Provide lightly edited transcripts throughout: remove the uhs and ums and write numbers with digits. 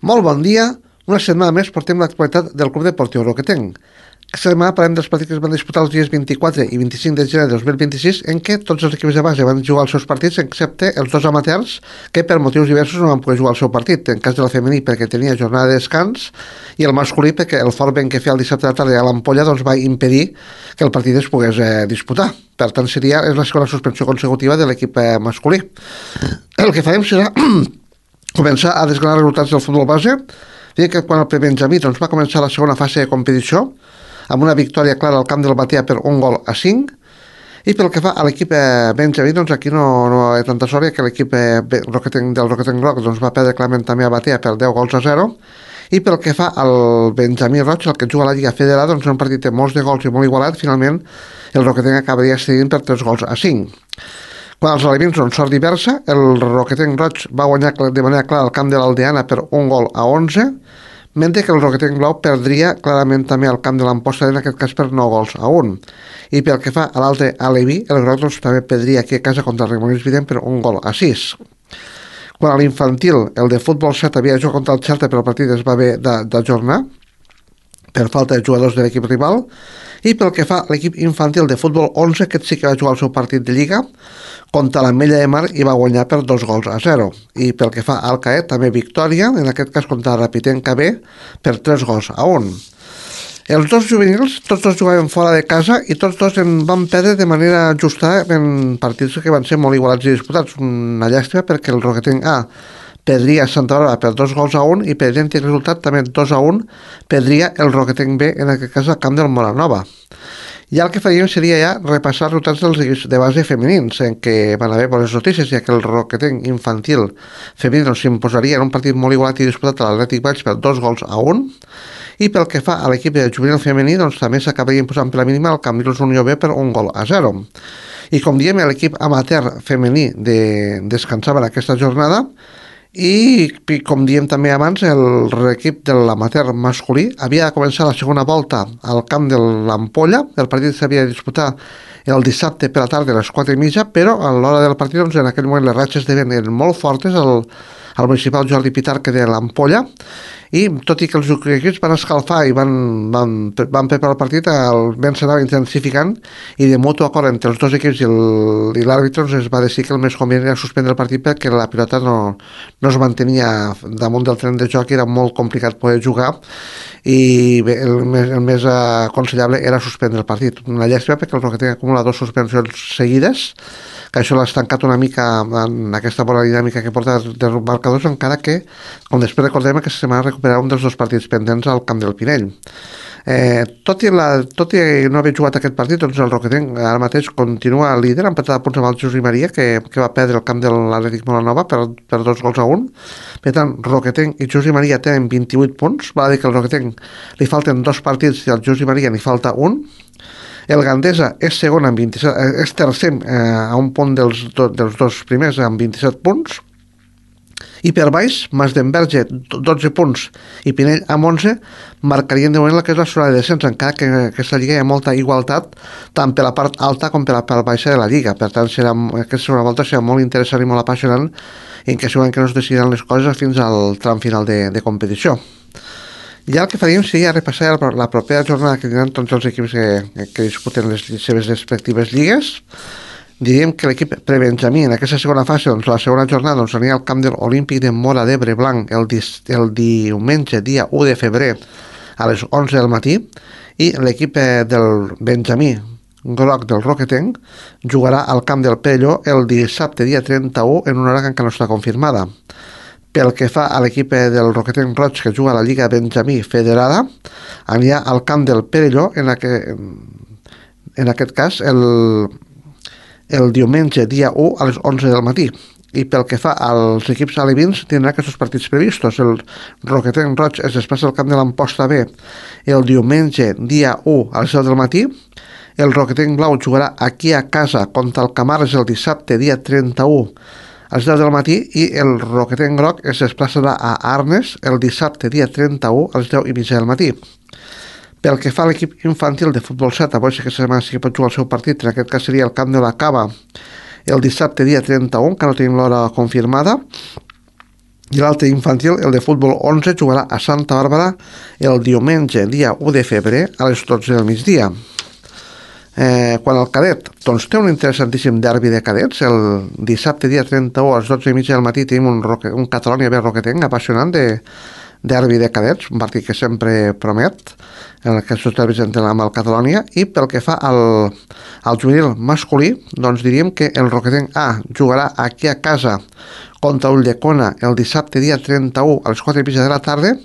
Molt bon dia. Una setmana més portem l'actualitat del Club Deportiu Roquetenc. Aquesta setmana parlem dels partits que es van disputar els dies 24 i 25 de gener de 2026, en què tots els equips de base van jugar els seus partits, excepte els dos amateurs, que per motius diversos no van poder jugar el seu partit. En cas de la femení, perquè tenia jornada de descans, i el masculí, perquè el fort vent que feia el dissabte a la tarda a l'Ampolla doncs, va impedir que el partit es pogués disputar. Per tant, és la segona suspensió consecutiva de l'equip masculí. El que farem serà començar a desgranar resultats del futbol base. Dic que quan el prebenjamí doncs, va començar la segona fase de competició amb una victòria clara al camp del Batea per 1-5, i pel que fa a l'equip benjamí, doncs aquí no hi ha tanta sort, que l'equip del Roquetenc Roc doncs, va perdre clarament també a Batea per 10-0, i pel que fa al Benjamí Roig, el que juga a la Lliga Federada, doncs un partit de molts de gols i molt igualat, finalment el Roquetenc acabaria cedint per 3-5. Quan els alevins són sort diversa, el Roquetenc Roig va guanyar de manera clara el camp de l'Aldeana per 1-11, mentre que el Roquetenc Blau perdria clarament també al camp de l'Amposta, en aquest cas per 9-1. I pel que fa a l'altre aleví, el Groc doncs, també perdria aquí a casa contra el Remolins Vident per 1-6. Quan a l'infantil, el de futbol 7 havia jugat contra el Xerta, però el partit es va haver d'ajornar per falta de jugadors de l'equip rival. I pel que fa a l'equip infantil de futbol 11, aquest sí que va jugar el seu partit de Lliga contra l'Ametlla de Mar i va guanyar per 2-0. I pel que fa al Caet, també victòria, en aquest cas contra el Rapitenca B, per 3-1. Els dos juvenils, tots dos jugaven fora de casa i tots dos en van perdre de manera justa en partits que van ser molt igualats i disputats. Una llàstima perquè el Roquetenc A perdria a Santa Bàrbara per 2-1 i per idèntic resultat també 2-1 perdria el Roquetenc B, en aquest cas al camp del Moranova. I el que faríem seria ja repassar els resultats dels equips de base femenins, en què van haver bones notícies, ja que el Roquetenc infantil femení s'imposaria en un partit molt igualat i disputat a l'Atlètic Valls per 2-1, i pel que fa a l'equip de juvenil femení, doncs també s'acabaria imposant per la mínima el Cambrils Unió B per 1-0. I com diem, l'equip amateur femení descansava en aquesta jornada, i com diem també abans, l'equip de l'amateur masculí havia de començar la segona volta al camp de l'Ampolla. El partit s'havia de disputar el dissabte per la tarda a les 4:30, però a l'hora del partit doncs, en aquell moment les ratxes de vent eren molt fortes al municipal Jordi Pitarque de l'Ampolla, i tot i que els equips van escalfar i van preparar el partit, el vent s'anava intensificant i de mutu acord entre els dos equips i l'àrbitre es va decidir que el més convenient era suspendre el partit perquè la pilota no es mantenia damunt del tren de joc i era molt complicat poder jugar, i bé, el més aconsellable era suspendre el partit. Una llàstima perquè el Roquetenc acumula 2 suspensions seguides, que això l'ha estancat una mica en aquesta bona dinàmica que porta dels marcadors, encara que, com després recordem, aquesta setmana recuperarà un dels 2 partits pendents al camp del Pinell. Tot i no haver jugat aquest partit, doncs el Roquetenc ara mateix continua líder, empatat a punts amb el José Maria, que va perdre el camp de l'Atlètic Molanova per 2-1. Per tant, Roquetenc i José Maria tenen 28 punts, val a dir que al Roquetenc li falten 2 partits i al José Maria n'hi falta un. El Gandesa és segon amb 27, és tercer a un punt dels dos primers amb 27 punts, i per baix Masdenverge 12 punts i Pinell amb 11 marcarien de moment la que és la zona de descens, encara que en aquesta lliga hi ha molta igualtat tant per la part alta com per la part baixa de la lliga. Per tant, aquesta segona volta serà molt interessant i molt apassionant, en què segurament que no es decidiran les coses fins al tram final de competició. Ja el que faríem seria repassar la propera jornada que tindran tots els equips que disputen les seves respectives lligues. Diríem que l'equip prebenjamí en aquesta segona fase, doncs la segona jornada aniria al camp de l'Olímpic de Móra d'Ebre Blanc el diumenge, dia 1 de febrer, a les 11 del matí, i l'equip del Benjamí Groc del Roquetenc jugarà al camp del Perelló el dissabte, dia 31, en una hora que encara no està confirmada. Pel que fa a l'equip del Roquetenc Roig, que juga a la Lliga Benjamí Federada, anirà al camp del Perelló, en aquest cas, el diumenge, dia 1, a les 11 del matí. I pel que fa als equips alevins, tindrà aquests partits previstos. El Roquetenc Roig es desplaça al camp de l'Amposta B el diumenge, dia 1, a les 10 del matí. El Roquetenc Blau jugarà aquí a casa contra el Camarles el dissabte, dia 31, a les 10 del matí, i el Roquetenc Groc es desplaçarà a Arnes el dissabte, dia 31, a les 10:30 del matí. Pel que fa a l'equip infantil de futbol 7, avui sí que setmana sí que pot jugar el seu partit, en aquest cas seria el camp de la Cava el dissabte, dia 31, que no tenim l'hora confirmada, I l'altre infantil, el de futbol 11, jugarà a Santa Bàrbara el diumenge, dia 1 de febrer, a les 12 del migdia. Quan el cadet, doncs té un interessantíssim derbi de cadets. El dissabte, dia 31, a les 12:30 del matí, tenim un Catalonia B Roquetenc apassionant de derbi de cadets, un partit que sempre promet en aquests derbis amb el Catalonia. I pel que fa al juvenil masculí, doncs diríem que el Roquetenc A jugarà aquí a casa contra Ulldecona el dissabte dia 31 a les 4:30 de la tarda,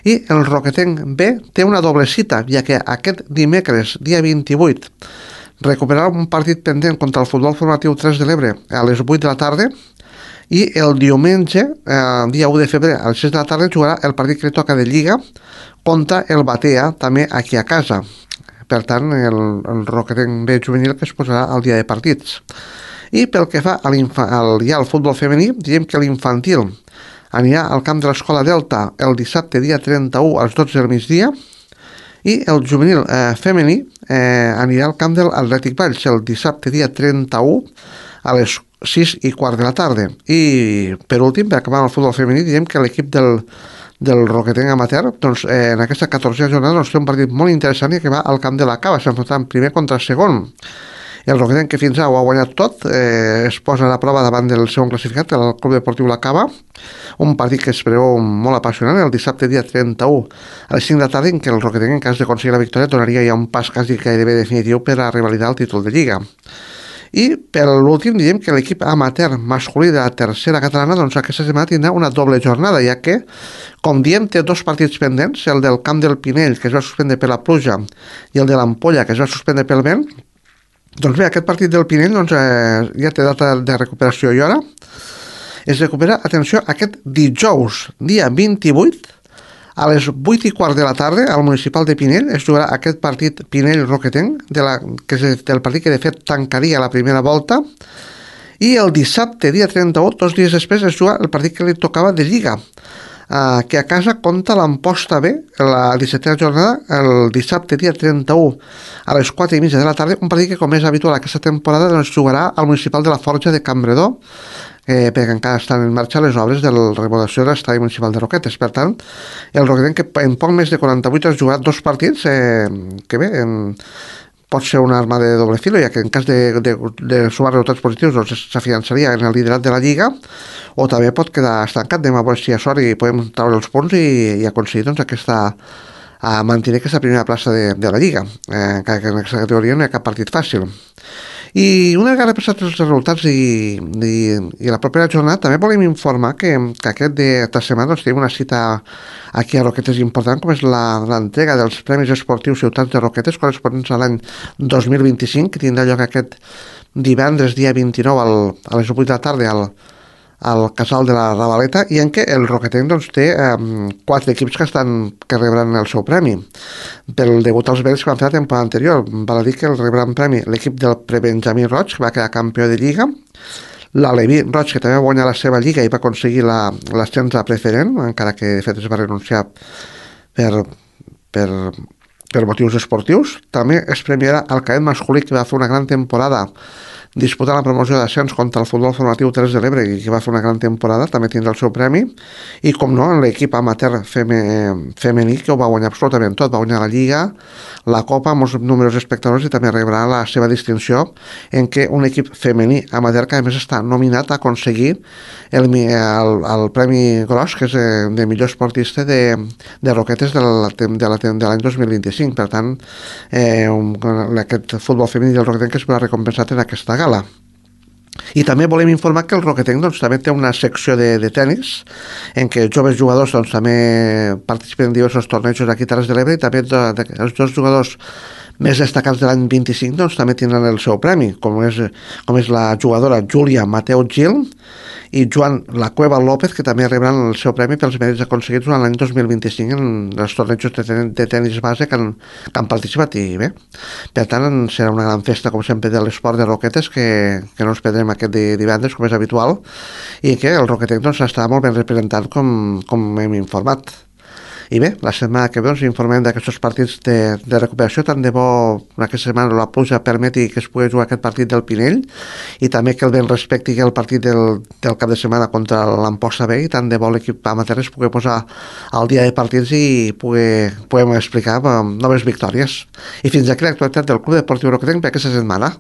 i el Roquetenc B té una doble cita, ja que aquest dimecres dia 28 recuperarà un partit pendent contra el Futbol Formatiu 3 de l'Ebre a les 8 de la tarda, i el diumenge, dia 1 de febrer, a les 6 de la tarda, jugarà el partit que li toca de Lliga contra el Batea, també aquí a casa. Per tant, el Roquetenc B juvenil que es posarà al dia de partits. I pel que fa al futbol femení, diem que l'infantil anirà al camp de l'Escola Delta el dissabte dia 31 a les 12 del migdia, i el juvenil femení anirà al camp de l'Atlètic Valls el dissabte dia 31 a les 6:15 de la tarda. I per últim, per acabar amb el futbol femení, diem que l'equip del Roquetenc amateur, doncs, en aquesta 14a jornada, doncs, té un partit molt interessant i que va al camp de la Cava, s'enfrontant primer contra segon. El Roquetenc, que fins ara ho ha guanyat tot, es posa a la prova davant del segon classificat, el Club Deportiu La Cava, un partit que es preveu molt apassionant el dissabte dia 31 a les 5 de la tarda, en què el Roquetenc, en cas d'aconseguir la victòria, donaria ja un pas quasi gairebé definitiu per a revalidar el títol de Lliga. I per l'últim diem que l'equip amateur masculí de la tercera catalana, doncs aquesta setmana tindrà una doble jornada, ja que, com diem, té dos partits pendents, el del Camp del Pinell, que es va suspendre per la pluja, i el de l'Ampolla, que es va suspendre pel vent. Doncs bé, aquest partit del Pinell doncs, ja té data de recuperació i hora. Es recupera, atenció, aquest dijous, dia 28, a les 8:15 de la tarda, al municipal de Pinell, es jugarà aquest partit Pinell-Roquetenc, que és el partit que de fet tancaria la primera volta, i el dissabte, dia 31, 2 dies després, es juga el partit que li tocava de Lliga, que a casa compta l'Amposta B, la 17a jornada, el dissabte, dia 31, a les 4:30 de la tarda, un partit que, com és habitual aquesta temporada, doncs, jugarà al municipal de la Forja de Campredó, perquè encara estan en marxa les obres de la remodelació de l'estadi municipal de Roquetes. Per tant, el Roquetenc, que en poc més de 48 has jugat dos partits, que bé, pot ser una arma de doble filo, ja que en cas de sumar resultats positius doncs s'afiançaria en el liderat de la Lliga, o també pot quedar estancat. Anem a veure si hi ha sort i podem treure els punts i aconseguir doncs, mantenir aquesta primera plaça de la Lliga, encara que en aquesta categoria no hi ha cap partit fàcil. I una vegada passats els resultats i la propera jornada, també volem informar que aquesta setmana doncs, tenim una cita aquí a Roquetes important, com és l'entrega dels Premis Esportius Ciutats de Roquetes, corresponents a l'any 2025, que tindrà lloc aquest divendres, dia 29, a les 8 de la tarda, al Casal de la Ravaleta, i en què el Roquetenc doncs, té 4 equips que rebran el seu premi pel debut als Vells que van fer la temporada anterior. Val a dir que el rebran premi l'equip del Prebenjamí Roig, que va quedar campió de Lliga, l'Aleví Roig, que també va guanyar la seva Lliga i va aconseguir l'ascens a preferent, encara que de fet es va renunciar per motius esportius. També es premiarà el cadet masculí, que va fer una gran temporada disputant la promoció d'ascens contra el Futbol Formatiu 3 de l'Ebre, i que va fer una gran temporada, també tindrà el seu premi. I com no, l'equip amateur femení, que ho va guanyar absolutament tot, va guanyar la Lliga, la Copa, molts números d'espectadors, i també rebrà la seva distinció, en què un equip femení amateur, que a més està nominat a aconseguir el Premi Gros, que és de millor esportista de Roquetes de l'any 2025. Per tant, aquest futbol femení del Roquetenc que es veurà recompensat en aquesta gala. I també volem informar que el Roquetenc doncs, també té una secció de tenis en què joves jugadors doncs, també participen en diversos tornejos aquí a Terres de l'Ebre, i també els dos jugadors més destacats de l'any 25 doncs, també tindran el seu premi, com és la jugadora Júlia Mateu Gil i Joan La Cueva López, que també rebran el seu premi pels mèrits aconseguits durant l'any 2025 en els tornejos de tenis base que han participat. I bé, per tant, serà una gran festa, com sempre, de l'esport de Roquetes, que no ens perdrem aquest divendres, com és habitual, i que el Roquetenc doncs, estarà molt ben representat, com hem informat. I bé, la setmana que ve us informem d'aquests partits de recuperació. Tant de bo aquesta setmana la pluja permeti que es pugui jugar aquest partit del Pinell i també que el vent respecti el partit del cap de setmana contra l'Amposta B, i tant de bo l'equip amateur es pugui posar al dia de partits i puguem explicar noves victòries. I fins aquí l'actualitat del Club Deportiu Roquetenc per aquesta setmana.